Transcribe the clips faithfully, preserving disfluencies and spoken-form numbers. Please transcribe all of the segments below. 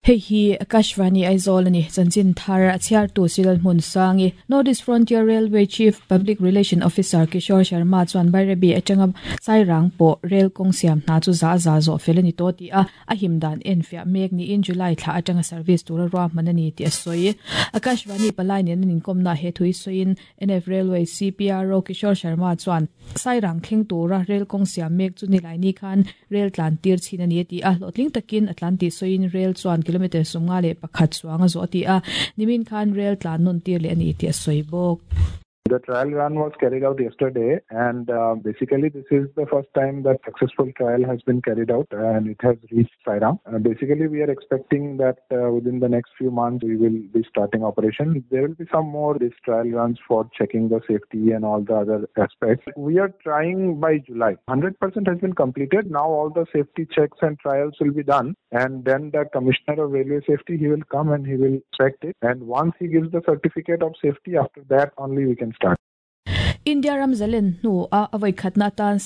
Hei hi Akashvani Aizawl ani chanchin thar a chhiar tu Silal Hmun Sangi. North East Frontier Railway Chief Public Relation Officer Kishore Sharma chuan Bairabi atanga Sairang pawh rail kawng siam hna chu za za zawh fel ani tawh ti a, a him dan en fiah mek niin July thla atanga service tura ruahman ani tih a sawi. Akashvani palai nen an inkawmna he thui sawiin N F Railway C P R O Kishore Sharma chuan Sairang thleng tura rail kawng siam mek chu nilai ni khan rail tlan tir chin ani ti a, hlawhtling takin a tlan tih sawiin rail chuan kilometer sawmnga leh pakhat chuang a zawh ti a, nimin khan rail tlan nawn tir leh ani tih a sawi bawk. The trial run was carried out yesterday, and, uh, basically this is the first time that successful trial has been carried out and it has reached Sairang. Uh, basically, we are expecting that, uh, within the next few months we will be starting operation. There will be some more these trial runs for checking the safety and all the other aspects. We are trying by July. hundred percent has been completed. Now all the safety checks and trials will be done, and then the Commissioner of Railway Safety, he will come and he will check it. And once he gives the certificate of safety, after that only we can start. India ram zalen hnu a avoi khatna tan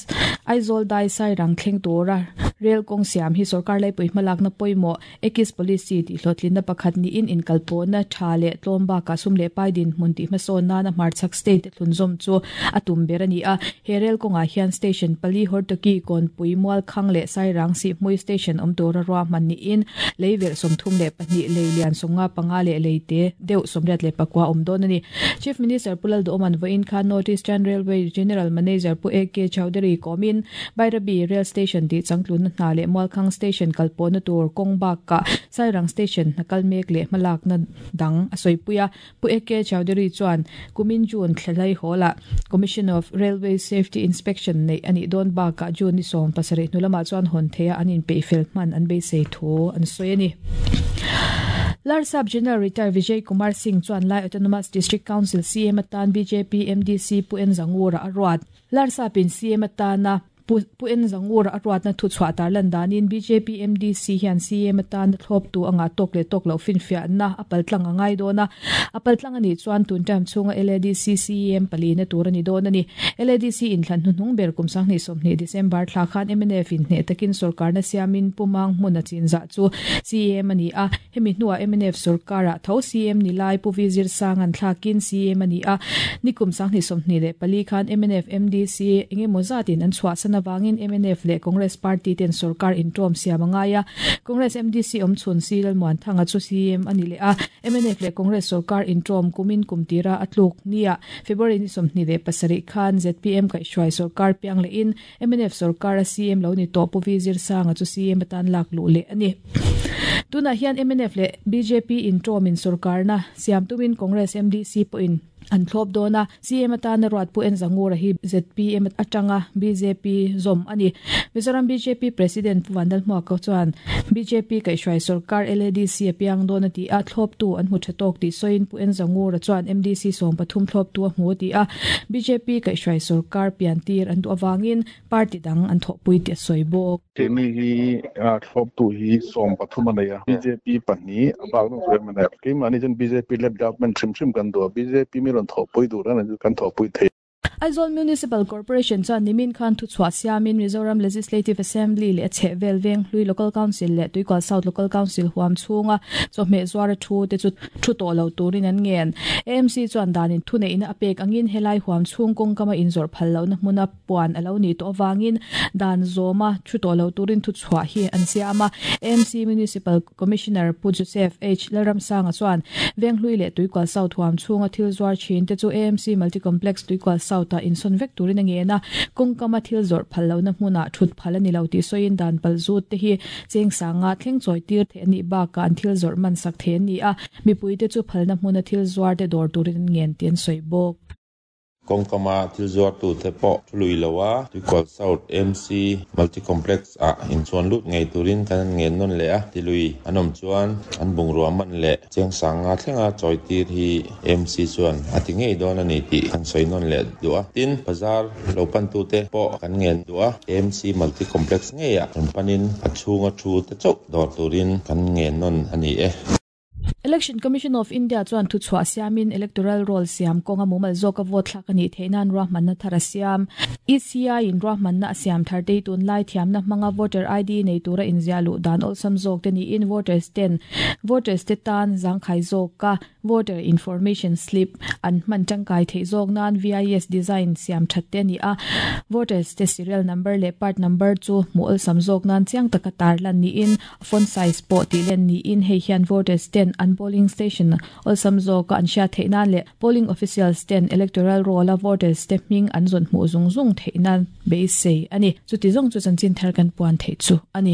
Aizawl dai Sairang thleng tura rail kawng siam hi sarkar lai pui hmalak na pawimawh Ekis policy tih hlawhtlin na pakhat niin inkalpawh na tha leh tlawm bakah sum leh pai din hmun tih hmasawn nana hmarchhak state thlunzawm chu a tum ber ani a. He rail kawngah hian station pali Hortoki Kawnpui Mualkhang leh Sairang Sihhmui station awm tura ruahman niin leiverh sawmthum leh pahnih lei lian sawmnga panga leh leite deuh sawmriat leh pakua awm dawn ani. Chief Minister Pu Lalduhoman vawiin khan North Eastern Railway General Manager Pu A K Chaudhary kawmin Bairabi Rail Station tih changtlun na hna leh Mualkhang Station kalpawh na tur kawng bakah Sairang Station hna kal mek leh hmalak na dang a sawipuia. Pu A K Chaudhary chuan kumin June thlalai hawlah Commission of Railway Safety Inspection nei ani dawn bakah June ni sawm pasarih hnu chuan hawn theia an inpeih fel hman an beisei thu an sawi ani. Larsap General Retired Vijay Kumar Singh chuan Lai Autonomous District Council C M atan B J P M D C Pu N Zangura a ruat. Larsapin C M atana Pu N Zangura a ruat na thu chhuah tar lan danin B J P M D C hian C M atan thlawp tu anga tok le tok lo fin fiah na apal tlang angai dona. Apal tlang ani chuan tun term chunga L A D C C M pali na tur ani don ani. L A D C in thlan hnung ber kum sang ni sawmhnih December thla khan M N F in hne takin sarkar na siamin pumang hmun a chinza chu C M ani a. Hemi hnuah M N F sarkara tho C M ni lai Pu Vizir sang an thlakin C M ani a. Nikum sang ni sawmhnih leh pali khan M N F M D C engemaw zatin an chhuah sana wangin M N F leh Congress Party ten sarkar intawm siam angaya. Congress M D C awm chhun si Lalmuan Thanga chu C M ani leh a. M N F leh Congress sarkar intawm kumin kumtira atluk nia February ni sawmhnih leh pasarih khan Z P M kaihhruai sarkar piang leh in M N F sarkar a C M lo ni tawh Pu Vizir Sanga chu C M atan lak luh leh ani. Tuna hian M N F leh B J P intawm in sarkar na siam tumin Congress M D C pawhin an thlawp dawna. C M atana ruat Pu N Zangura hi Z P M atanga B J P zawm ani. Mizoram B J P President Pu Vanlal Hmuaka chuan B J P kaihhruai sarkar L A D C a piang dawn a ti a, thlawp tu an hmu tha tawk tih sawiin Pu N Zangura chuan M D C sawm pathum thlawp tu a hmu ti a. B J P kaihhruai sarkar pian tir an duh awangin party dang an thawhpui tih a sawi bawk. Hemi hi thlawp tu hi sawm pathum a nei a. B J P pahnih a bak dawn chu M N F. Keimahni chuan B J P led government hrim hrim kan duh a. B J P mi rawn thawhpui tur a ni kan thawhpui thei. Aizawl Municipal Corporation chuan nimin khan thu chhuah siamin Mizoram Legislative Assembly leh chhehvel veng hlui Local Council leh Tuikual South Local Council huam chhunga chawhmeh zuara thu te chu thu tawh lo turin an ngen. A M C chuan danin thu neihna a pek angin helai huam chhung kawng kama inzawrh phal lohna hmuna puan a lo ni tawh awangin dan zawma thu tawh lo turin thu chhuah hi an siam a. A M C Municipal Commissioner Pu Joseph H Lalramsanga chuan veng hlui leh Tuikual South huam chhunga thil zuar thin te chu A M C Multicomplex Tuikual South ta insawn vek turin a ngen a. Kawng kama thil zawrh phal lohna hmunah thut phal ani lo tih sawiin dan pal zut te hi cheng sanga thleng chawi tir the ani bakah an thil zawrh man sak the ani a. Mipui te chu phalna hmuna thil zuar te dawr turin an ngen tih an sawi bawk. Kawng kama thil zuar tu te pawh thului loa Tuikual South M C Multicomplex ah inchuan lut ngei turin kan an ngen nawn leh a. Tilui an awm chuan an bungrua man leh cheng sanga thlenga chawi tir hi M C chuan a ti ngei dawn ani tih kan sawi nawn leh duh a. Tin bazar lo pan tu te pawh kan ngen duh a. M C Multicomplex ngei ah an panin a chhunga thu te chauh dawr turin kan ngen nawn ani e. Election Commission of India chuan thu chhuah siamin electoral roll siam kawnga mumal zawka vote thlak ani theinan ruahmanna thar a siam. E C I in ruahmanna a siam thar te tun lai thiamna hmanga voter I D nei tura inziah luh dan awlsam zawk te niin voters ten voters te tan zangkhai zawka voter information slip an hman tangkai theih zawk nan V I S design siam that te ani a. Voters te serial number leh part number chu hmuh awlsam zawk nan chiang taka tar lan niin font size pawh tih len niin hei hian voters ten an polling station awlsam zawka an hriat theih nan leh polling officials ten electoral roll a voters te hming an zawn hmuh zung zung theih nan beisei ani. Chuti zawng chu chanchin thar kan puan theih chu ani.